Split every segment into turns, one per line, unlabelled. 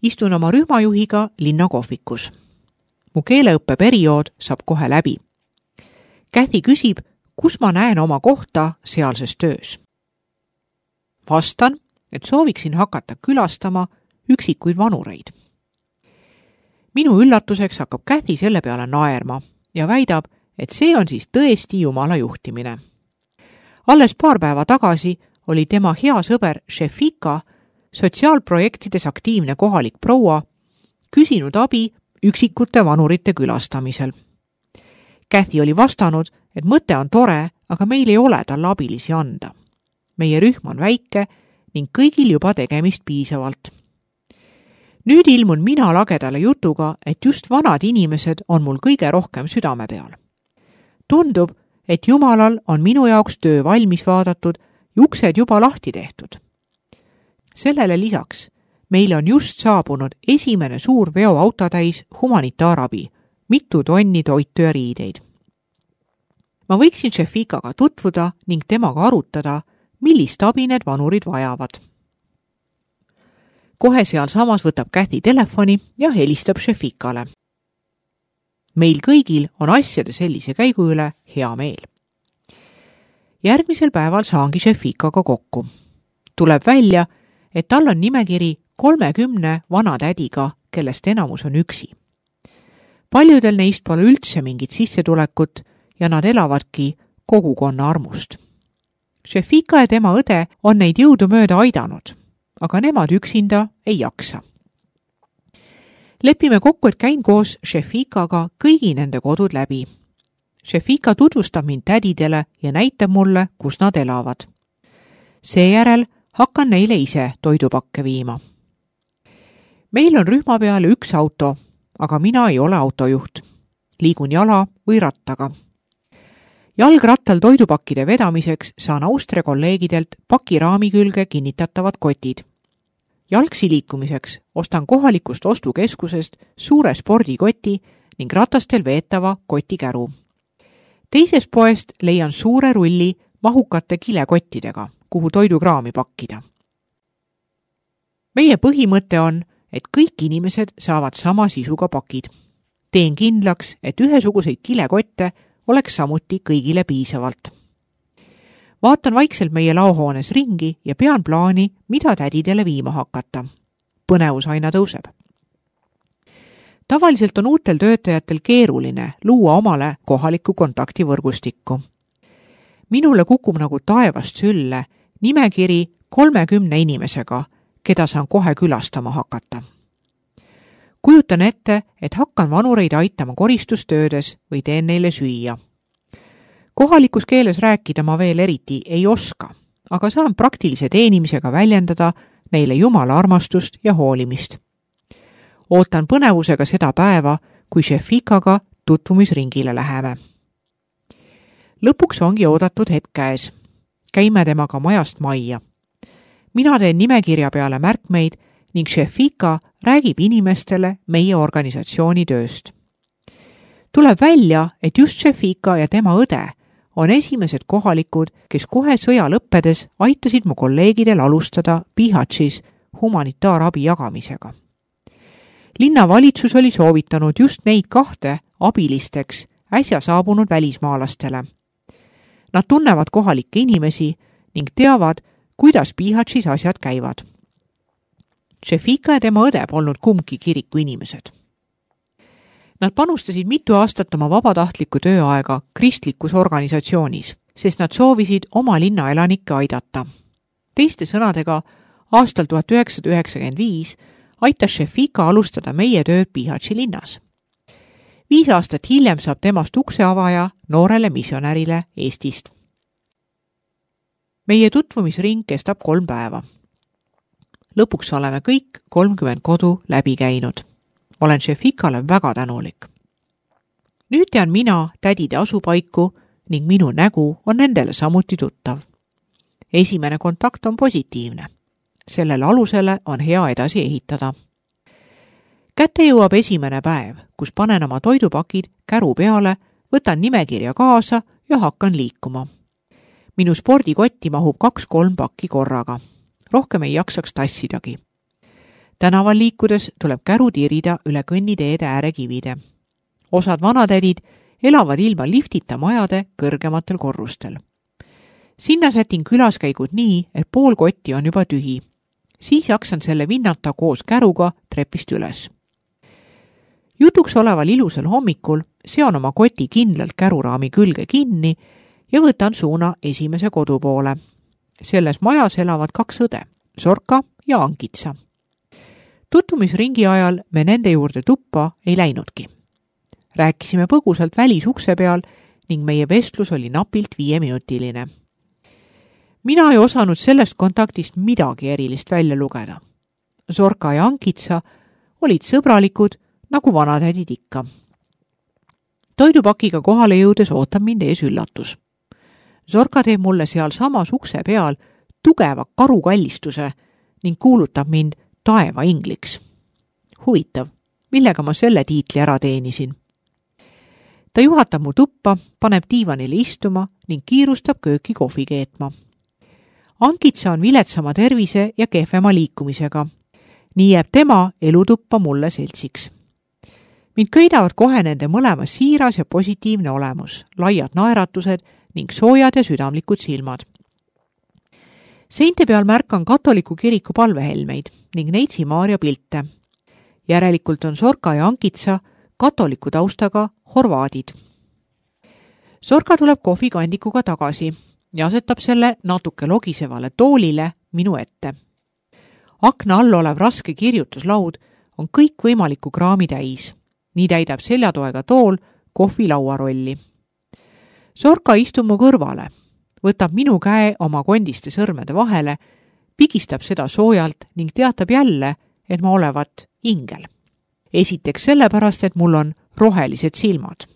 Istun oma rühmajuhiga linnakohvikus. Mu keeleõppeperiood saab kohe läbi. Kathy küsib, kus ma näen oma kohta sealses töös. Vastan, et sooviksin hakata külastama üksikuid vanureid. Minu üllatuseks hakkab Kathy selle peale naerma ja väidab, et see on siis tõesti Jumala juhtimine. Alles paar päeva tagasi oli tema hea sõber Shefika, sotsiaalprojektides aktiivne kohalik proua, küsinud abi üksikute vanurite külastamisel. Kathy oli vastanud, et mõte on tore, aga meil ei ole talle abilisi anda. Meie rühm on väike ning kõigil juba tegemist piisavalt. Nüüd ilmun mina lagedale jutuga, et just vanad inimesed on mul kõige rohkem südame peal. Tundub, et Jumalal on minu jaoks töö valmis vaadatud ja uksed juba lahti tehtud. Sellele lisaks meile on just saabunud esimene suur veoautotäis humanitaarabi, mitu tonni toitu ja riideid. Ma võiksin Shefikaga tutvuda ning temaga arutada, millist abi need vanurid vajavad. Kohe sealsamas võtab Kathy telefoni ja helistab Shefikale. Meil kõigil on asjade sellise käigu üle hea meel. Järgmisel päeval saangi Shefikaga kokku. Tuleb välja, et tal on nimekiri 30 vanatädiga, kellest enamus on üksi. Paljudel neist pole üldse mingit sissetulekut ja nad elavadki kogukonna armust. Shefika ja tema õde on neid jõudumööda aidanud, aga nemad üksinda ei jaksa. Lepime kokku, et käin koos Shefikaga kõigi nende kodud läbi. Shefika tutvustab mind tädidele ja näitab mulle, kus nad elavad. Seejärel hakkan neile ise toidupakke viima. Meil on rühma peale üks auto, aga mina ei ole autojuht. Liigun jala või rattaga. Jalgrattal toidupakkide vedamiseks saan Austria kolleegidelt pakiraami külge kinnitatavad kotid. Jalgsi liikumiseks ostan kohalikust ostukeskusest suure spordikoti ning ratastel veetava kotikäru. Teises poest leian suure rulli mahukate kilekottidega, kuhu toidukraami pakkida. Meie põhimõte on, et kõik inimesed saavad sama sisuga pakid. Teen kindlaks, et ühesuguseid kilekotte oleks samuti kõigile piisavalt. Vaatan vaikselt meie laohoones ringi ja pean plaani, mida tädidele viima hakata. Põnevus aina tõuseb. Tavaliselt on uutel töötajatel keeruline luua omale kohalikku kontaktivõrgustikku. Minule kukub nagu taevast sülle nimekiri 30 inimesega, keda saan kohe külastama hakata. Kujutan ette, et hakkan vanureid aitama koristustöödes või teen neile süüa. Kohalikus keeles rääkida ma veel eriti ei oska, aga saan praktilise teenimisega väljendada neile Jumala armastust ja hoolimist. Ootan põnevusega seda päeva, kui Shefikaga tutvumisringile läheme. Lõpuks ongi oodatud hetk käes. Käime temaga majast majja. Mina teen nimekirja peale märkmeid ning Shefika räägib inimestele meie organisatsiooni tööst. Tuleb välja, et just Shefika ja tema õde on esimesed kohalikud, kes kohe sõja lõppedes aitasid mu kolleegidel alustada Bihaćis humanitaarabi jagamisega. Linnavalitsus oli soovitanud just neid 2 abilisteks äsja saabunud välismaalastele. Nad tunnevad kohalikke inimesi ning teavad, kuidas Bihaćis asjad käivad. Shefika ja tema õde polnud kumbki kiriku inimesed. Nad panustasid mitu aastat oma vabatahtlikku tööaega kristlikus organisatsioonis, sest nad soovisid oma linna elanikke aidata. Teiste sõnadega, aastal 1995 aitas Shefika alustada meie tööd Bihaći linnas. 5 aastat hiljem saab temast ukseavaja noorele missionärile Eestist. Meie tutvumisring kestab 3 päeva. Lõpuks oleme kõik 30 kodu läbi käinud. Olen Shefikale väga tänulik. Nüüd tean mina tädide asupaiku ning minu nägu on nendele samuti tuttav. Esimene kontakt on positiivne. Sellele alusele on hea edasi ehitada. Kätte jõuab esimene päev, kus panen oma toidupakid käru peale, võtan nimekirja kaasa ja hakkan liikuma. Minu spordikotti mahub 2-3 pakki korraga. Rohkem ei jaksaks tassidagi. Tänaval liikudes tuleb käru tirida üle kõnniteede äärekivide. Osad vanatädid elavad ilma liftita majade kõrgematel korrustel. Sinna sätin külaskäigud nii, et pool kotti on juba tühi. Siis jaksan selle vinnata koos käruga trepist üles. Jutuks oleval ilusal hommikul seon oma koti kindlalt käruraami külge kinni ja võtan suuna esimese kodu poole. Selles majas elavad 2 õde, Zorka ja Ankitsa. Tutvumisringi ajal me nende juurde tuppa ei läinudki. Rääkisime põgusalt välisukse peal ning meie vestlus oli napilt 5-minutiline. Mina ei osanud sellest kontaktist midagi erilist välja lugeda. Zorka ja Ankitsa olid sõbralikud, nagu vanatädid ikka. Toidupakiga kohale jõudes ootab mind ees üllatus. Zorka teeb mulle seal samas ukse peal tugeva karukallistuse ning kuulutab mind taeva ingliks. Huvitav, millega ma selle tiitli ära teenisin. Ta juhatab mu tuppa, paneb diivanile istuma ning kiirustab kööki kohvi keetma. Ankitsa on viletsama tervise ja kehvema liikumisega. Nii jääb tema elutuppa mulle seltsiks. Mind köidavad kohe nende mõlema siiras ja positiivne olemus, laiad naeratused ning soojad ja südamlikud silmad. Seinte peal märkan katoliku kiriku palvehelmeid ning Neitsi Maarja pilte. Järelikult on Zorka ja Ankitsa katoliku taustaga horvaadid. Zorka tuleb kohvikandikuga tagasi ja asetab selle natuke logisevale toolile minu ette. Akna all olev raske kirjutuslaud on kõikvõimaliku kraami täis. Nii täidab seljatoega tool kohvilaua rolli. Zorka istub mu kõrvale, võtab minu käe oma kondiste sõrmede vahele, pigistab seda soojalt ning teatab jälle, et ma olevat ingel. Esiteks sellepärast, et mul on rohelised silmad.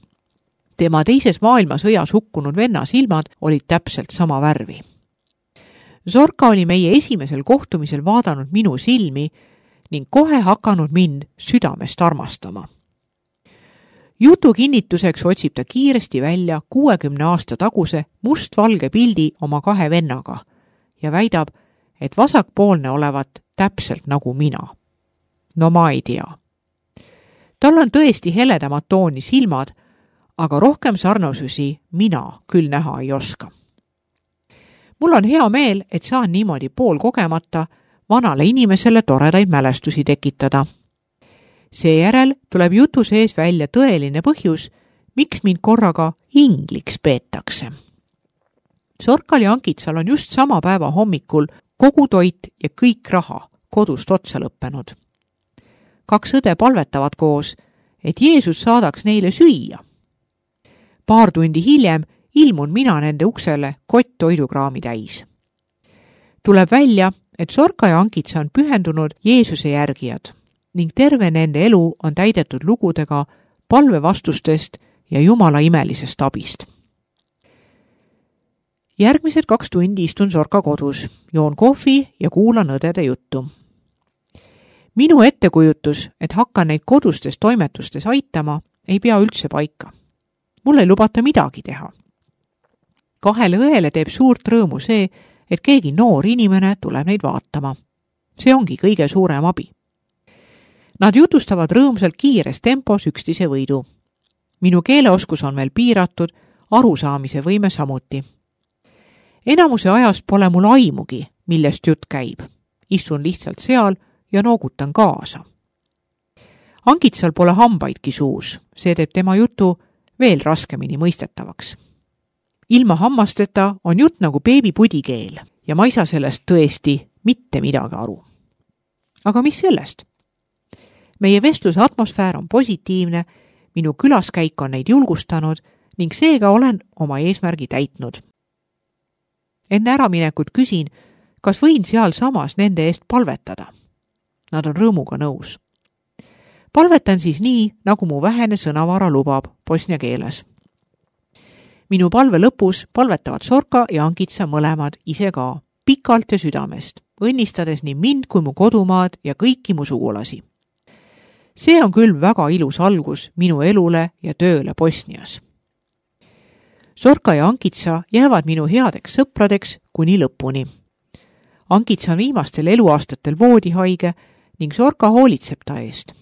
Tema teises maailmasõjas hukkunud venna silmad olid täpselt sama värvi. Zorka oli meie esimesel kohtumisel vaadanud minu silmi ning kohe hakanud mind südamest armastama. Jutu kinnituseks otsib ta kiiresti välja 60 aasta taguse mustvalge pildi oma 2 vennaga ja väidab, et vasakpoolne olevat täpselt nagu mina. No ma ei tea. Tal on tõesti heledamad tooni silmad, aga rohkem sarnasusi mina küll näha ei oska. Mul on hea meel, et saan niimoodi poolkogemata vanale inimesele toredaid mälestusi tekitada. Seejärel tuleb jutu sees välja tõeline põhjus, miks mind korraga ingliks peetakse. Zorkal ja Ankitsal on just sama päeva hommikul kogu toit ja kõik raha kodust otsa lõppenud. 2 õde palvetavad koos, et Jeesus saadaks neile süüa. Paar tundi hiljem ilmun mina nende uksele kott toidukraami täis. Tuleb välja, et Zorka ja Ankitsa on pühendunud Jeesuse järgijad ning terve nende elu on täidetud lugudega palvevastustest ja Jumala imelisest abist. Järgmised 2 tundi istun Zorka kodus, joon kohvi ja kuulan õdede juttu. Minu ettekujutus, et hakkan neid kodustes toimetustes aitama, ei pea üldse paika. Mul ei lubata midagi teha. 2 õele teeb suurt rõõmu see, et keegi noor inimene tuleb neid vaatama. See ongi kõige suurem abi. Nad jutustavad rõõmsalt kiires tempos üksteise võidu. Minu keeleoskus on veel piiratud, arusaamise võime samuti. Enamuse ajast pole mul aimugi, millest jutt käib. Istun lihtsalt seal ja noogutan kaasa. Ankitsal pole hambaidki suus, see teeb tema jutu veel raskemini mõistetavaks. Ilma hammasteta on jutt nagu beebipudikeel ja ma ei saa sellest tõesti mitte midagi aru. Aga mis sellest? Meie vestluse atmosfäär on positiivne, minu külaskäik on neid julgustanud ning seega olen oma eesmärgi täitnud. Enne äraminekut küsin, kas võin seal samas nende eest palvetada. Nad on rõõmuga nõus. Palvetan siis nii, nagu mu vähene sõnavara lubab bosnia keeles. Minu palve lõpus palvetavad Zorka ja Ankitsa mõlemad ise ka, pikalt ja südamest, õnnistades nii mind kui mu kodumaad ja kõiki mu sugulasi. See on küll väga ilus algus minu elule ja tööle Bosnias. Zorka ja Ankitsa jäävad minu headeks sõpradeks kuni lõpuni. Ankitsa on viimastel eluaastatel voodihaige ning Sorka hoolitseb ta eest.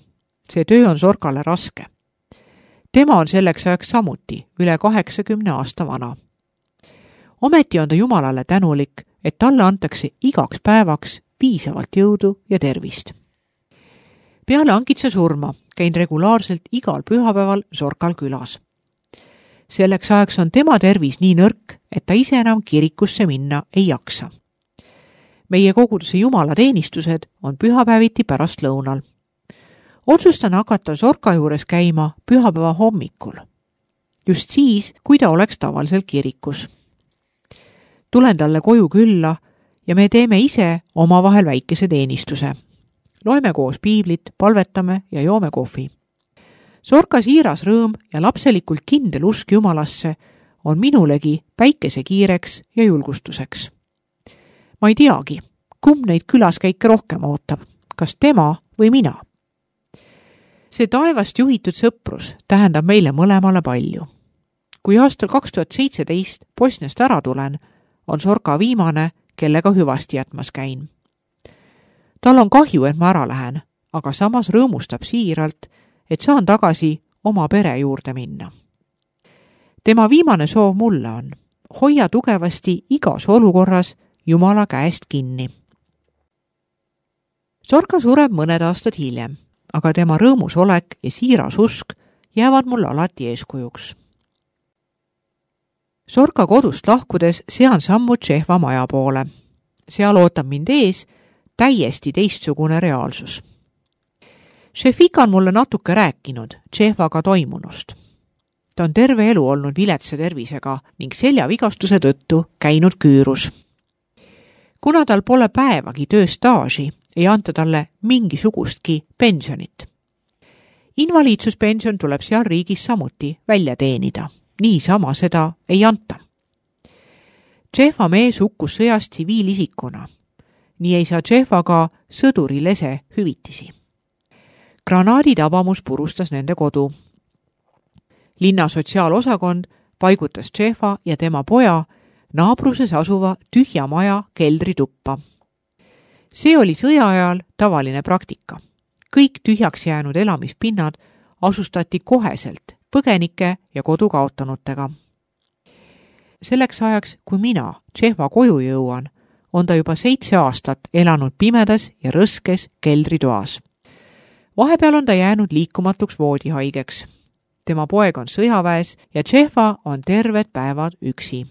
See töö on Sorkale raske. Tema on selleks ajaks samuti üle 80 aasta vana. Ometi on ta Jumalale tänulik, et talle antakse igaks päevaks piisavalt jõudu ja tervist. Peale Ankitsa surma käin regulaarselt igal pühapäeval Sorkal külas. Selleks ajaks on tema tervis nii nõrk, et ta ise enam kirikusse minna ei jaksa. Meie koguduse jumalateenistused on pühapäeviti pärast lõunal. Otsustan hakata Sorka juures käima pühapäeva hommikul. Just siis, kui ta oleks tavaliselt kirikus. Tulen talle koju külla ja me teeme ise omavahel väikese teenistuse. Loeme koos piiblit, palvetame ja joome kohvi. Sorka siiras rõõm ja lapselikult kindel usk Jumalasse on minulegi päikesekiireks ja julgustuseks. Ma ei teagi, kumb neid külaskäike rohkem ootab, kas tema või mina. See taevast juhitud sõprus tähendab meile mõlemale palju. Kui aastal 2017 Bosniast ära tulen, on Sorka viimane, kellega hüvasti jätmas käin. Tal on kahju, et ma ära lähen, aga samas rõõmustab siiralt, et saan tagasi oma pere juurde minna. Tema viimane soov mulle on, hoia tugevasti igas olukorras Jumala käest kinni. Sorka sureb mõned aastad hiljem, aga tema rõõmus olek ja siiras usk jäävad mulle alati eeskujuks. Sorka kodust lahkudes sean sammu Tšehva maja poole. Seal ootab mind ees täiesti teistsugune reaalsus. Šefika on mulle natuke rääkinud Tšehvaga toimunust. Ta on terve elu olnud viletsa tervisega ning seljavigastuse tõttu käinud küürus. Kuna tal pole päevagi tööstaaži, ei anta talle mingisugustki pensionit. Invaliidsuspension tuleb seal riigis samuti välja teenida. Niisama seda ei anta. Tšehva mees hukkus sõjas tsiviilisikuna. Nii ei saa Tšehva ka sõduri lese hüvitisi. Granaaditabamus purustas nende kodu. Linna sotsiaalosakond paigutas Tšehva ja tema poja naabruses asuva tühja maja keldrituppa. See oli sõja ajal tavaline praktika. Kõik tühjaks jäänud elamispinnad asustati koheselt põgenike ja kodu kaotanutega. Selleks ajaks, kui mina Tšehva koju jõuan, on ta juba 7 aastat elanud pimedas ja rõskes keldritoas. Vahepeal on ta jäänud liikumatuks voodihaigeks. Tema poeg on sõjaväes ja Tšehva on terved päevad üksi.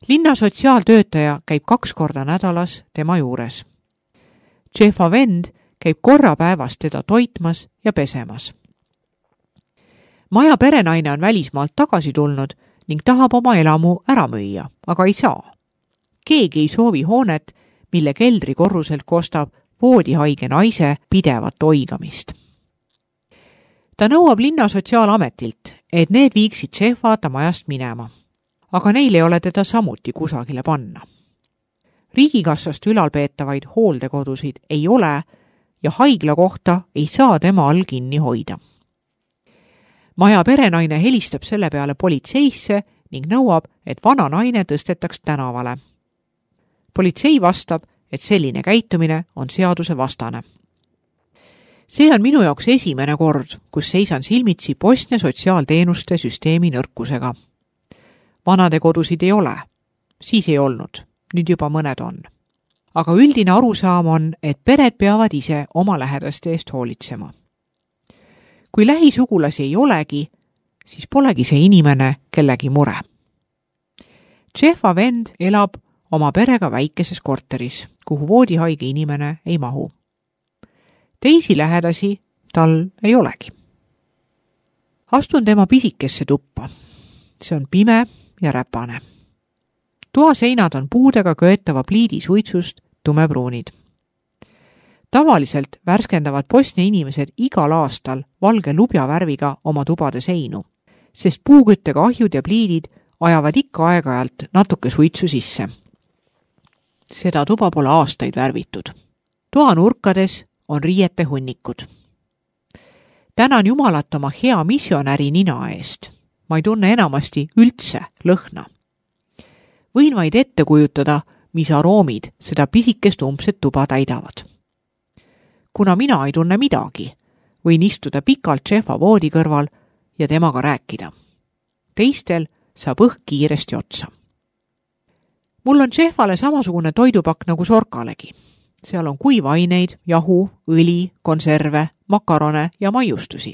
Linna sotsiaaltöötaja käib 2 korda nädalas tema juures. Tšehva vend käib korra päevas teda toitmas ja pesemas. Maja perenaine on välismaalt tagasi tulnud ning tahab oma elamu ära müüa, aga ei saa. Keegi ei soovi hoonet, mille keldrikorruselt kostab voodihaige naise pidevat oigamist. Ta nõuab linna sotsiaalametilt, et need viiksid Tšehva ta majast minema, aga neil ei ole teda samuti kusagile panna. Riigikassast ülalpeetavaid hooldekodusid ei ole ja haigla kohta ei saa tema all kinni hoida. Maja perenaine helistab selle peale politseisse ning nõuab, et vana naine tõstetaks tänavale. Politsei vastab, et selline käitumine on seaduse vastane. See on minu jaoks esimene kord, kus seisan silmitsi Bosnia sotsiaalteenuste süsteemi nõrkusega. Vanade kodusid ei ole, siis ei olnud, nüüd juba mõned on. Aga üldine arusaam on, et pered peavad ise oma lähedaste eest hoolitsema. Kui lähisugulasi ei olegi, siis polegi see inimene kellegi mure. Tšehva vend elab oma perega väikeses korteris, kuhu voodihaige inimene ei mahu. Teisi lähedasi tal ei olegi. Astun tema pisikesse tuppa. See on pime ja räpane. Toaseinad on puudega köetava pliidi suitsust tumepruunid. Tavaliselt värskendavad Bosnia inimesed igal aastal valge lubjavärviga oma tubade seinu, sest puuküttega ahjud ja pliidid ajavad ikka aeg-ajalt natuke suitsu sisse. Seda tuba pole aastaid värvitud. Toa nurkades on riiete hunnikud. Tänan Jumalat oma hea missionäri nina eest. Ma ei tunne enamasti üldse lõhna. Võin vaid ette kujutada, mis aroomid seda pisikest umbset tuba täidavad. kuna mina ei tunne midagi, võin istuda pikalt Jefa voodi kõrval ja temaga rääkida. Teistel saab õhk kiiresti otsa. Mul on Jefale samasugune toidupakk nagu Sorkalegi. Seal on kuivaineid, jahu, õli, konserve, makarone ja maiustusi.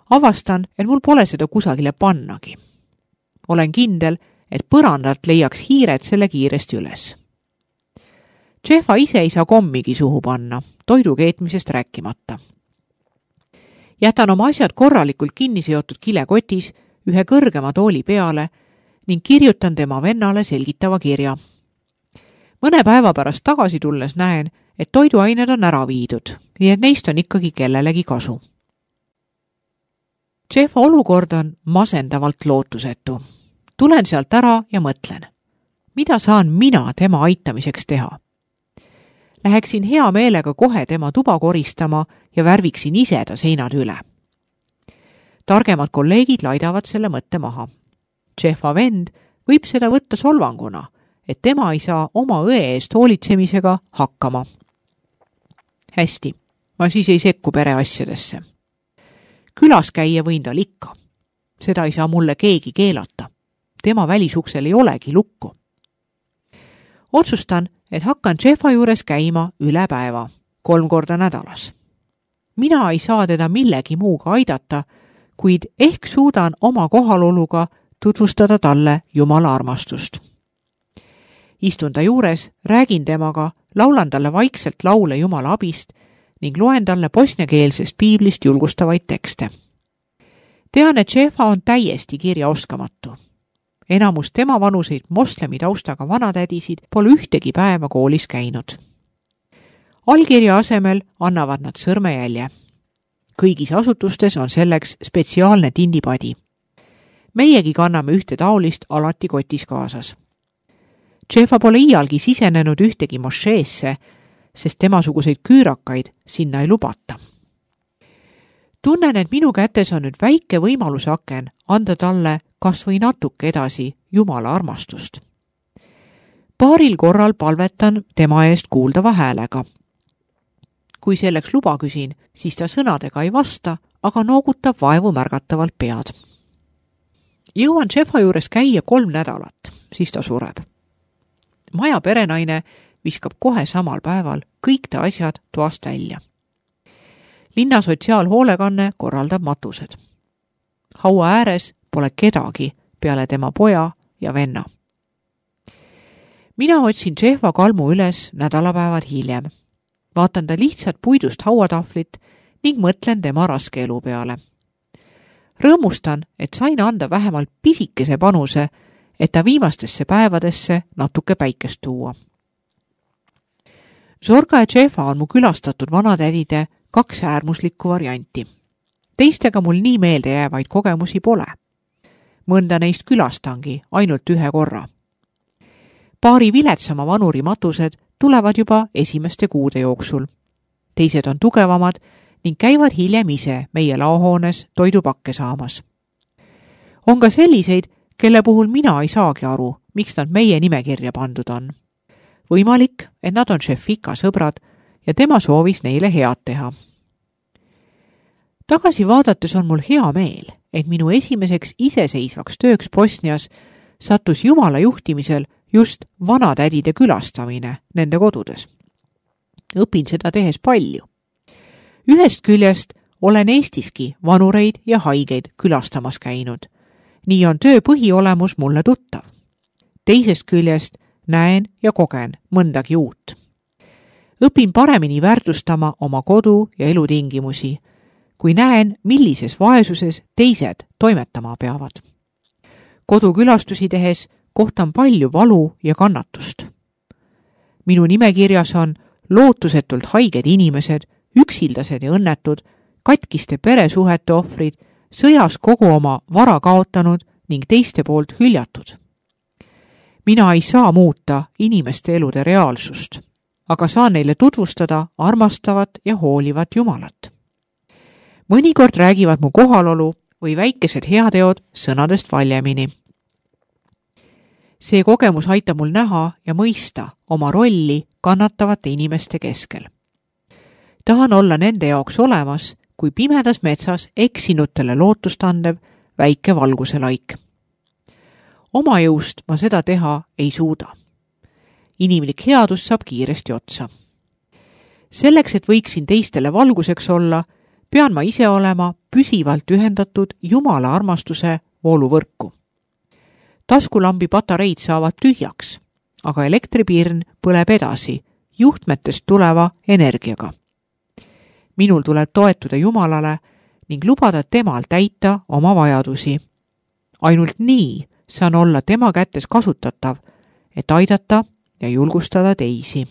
Avastan, et mul pole seda kusagile pannagi. Olen kindel, et põrandalt leiaks hiired selle kiiresti üles. Jefa ise ei saa kommigi suhu panna, toidu keetmisest rääkimata. Jätan oma asjad korralikult kinni seotud kilekotis ühe kõrgema tooli peale ning kirjutan tema vennale selgitava kirja. Mõne päeva pärast tagasi tulles näen, et toiduained on ära viidud, nii et neist on ikkagi kellelegi kasu. Jefa olukord on masendavalt lootusetu. Tulen sealt ära ja mõtlen, mida saan mina tema aitamiseks teha. Läheksin hea meelega kohe tema tuba koristama ja värviksin ise ta seinad üle. Targemad kolleegid laidavad selle mõtte maha. Jefa vend võib seda võtta solvanguna, et tema ei saa oma õe eest hoolitsemisega hakkama. Hästi, ma siis ei sekku pereasjadesse. Külas käia võin tal ikka. Seda ei saa mulle keegi keelata. Tema välisuksel ei olegi lukku. Otsustan, et hakkan Jefa juures käima üle päeva, 3 korda nädalas. Mina ei saa teda millegi muuga aidata, kuid ehk suudan oma kohaloluga tutvustada talle Jumala armastust. Istun ta juures, räägin temaga, laulan talle vaikselt laule Jumala abist ning loen talle bosniakeelsest piiblist julgustavaid tekste. Tean, et Jefa on täiesti kirjaoskamatu. Enamus tema vanuseid moslemi taustaga vanatädisid pole ühtegi päeva koolis käinud. Allkirja asemel annavad nad sõrmejälje. Kõigis asutustes on selleks spetsiaalne tindipadi. Meiegi kanname ühte taolist alati kotis kaasas. Jefa pole iialgi sisenenud ühtegi mošeesse, sest temasuguseid küürakaid sinna ei lubata. Tunnen, et minu kätes on nüüd väike võimaluse aken anda talle kas või natuke edasi Jumala armastust. Paaril korral palvetan tema eest kuuldava häälega. Kui selleks luba küsin, siis ta sõnadega ei vasta, aga noogutab vaevu märgatavalt pead. Jõuan Jefa juures käia 3 nädalat, siis ta sureb. Maja perenaine viskab kohe samal päeval kõik ta asjad toast välja. Linna sotsiaalhoolekanne korraldab matused. Haua ääres pole kedagi peale tema poja ja venna. Mina otsin Jefa kalmu üles nädalapäevad hiljem. Vaatan ta lihtsalt puidust hauatahvlit ning mõtlen tema raske elu peale. Rõõmustan, et sain anda vähemalt pisikese panuse, et ta viimastesse päevadesse natuke päikest tuua. Zorka ja Jefa on mu külastatud vanatädide 2 äärmuslikku varianti. Teistega mul nii meelde jäävaid kogemusi pole. Mõnda neist külastangi ainult 1 korra. Paari viletsama vanuri matused tulevad juba esimeste kuude jooksul. Teised on tugevamad ning käivad hiljem ise meie laohoones toidupakke saamas. On ka selliseid, kelle puhul mina ei saagi aru, miks nad meie nimekirja pandud on. Võimalik, et nad on Šefika sõbrad ja tema soovis neile head teha. Tagasi vaadates on mul hea meel, et minu esimeseks iseseisvaks tööks Bosnias sattus Jumala juhtimisel just vanatädide külastamine nende kodudes. Õpin seda tehes palju. Ühest küljest olen Eestiski vanureid ja haigeid külastamas käinud. Nii on töö põhiolemus mulle tuttav. Teisest küljest näen ja kogen mõndagi uut. Õpin paremini väärtustama oma kodu ja elutingimusi, kui näen, millises vaesuses teised toimetama peavad. Kodukülastusi tehes kohtan palju valu ja kannatust. Minu nimekirjas on lootusetult haiged inimesed, üksildased ja õnnetud, katkiste peresuhete ohvrid, sõjas kogu oma vara kaotanud ning teiste poolt hüljatud. Mina ei saa muuta inimeste elude reaalsust, aga saan neile tutvustada armastavat ja hoolivat Jumalat. Mõnikord räägivad mu kohalolu või väikesed heateod sõnadest valjemini. See kogemus aitab mul näha ja mõista oma rolli kannatavate inimeste keskel. tahan olla nende jaoks olemas, kui pimedas metsas eksinutele lootust andev väike valguselaik. Oma jõust ma seda teha ei suuda. Inimlik headus saab kiiresti otsa. Selleks, et võiksin teistele valguseks olla, pean ma ise olema püsivalt ühendatud Jumala armastuse vooluvõrku. Taskulambi patareid saavad tühjaks, aga elektripirn põleb edasi juhtmetest tuleva energiaga. Minul tuleb toetuda Jumalale ning lubada temal täita oma vajadusi. Ainult nii saan olla tema kätes kasutatav, et aidata ja julgustada teisi.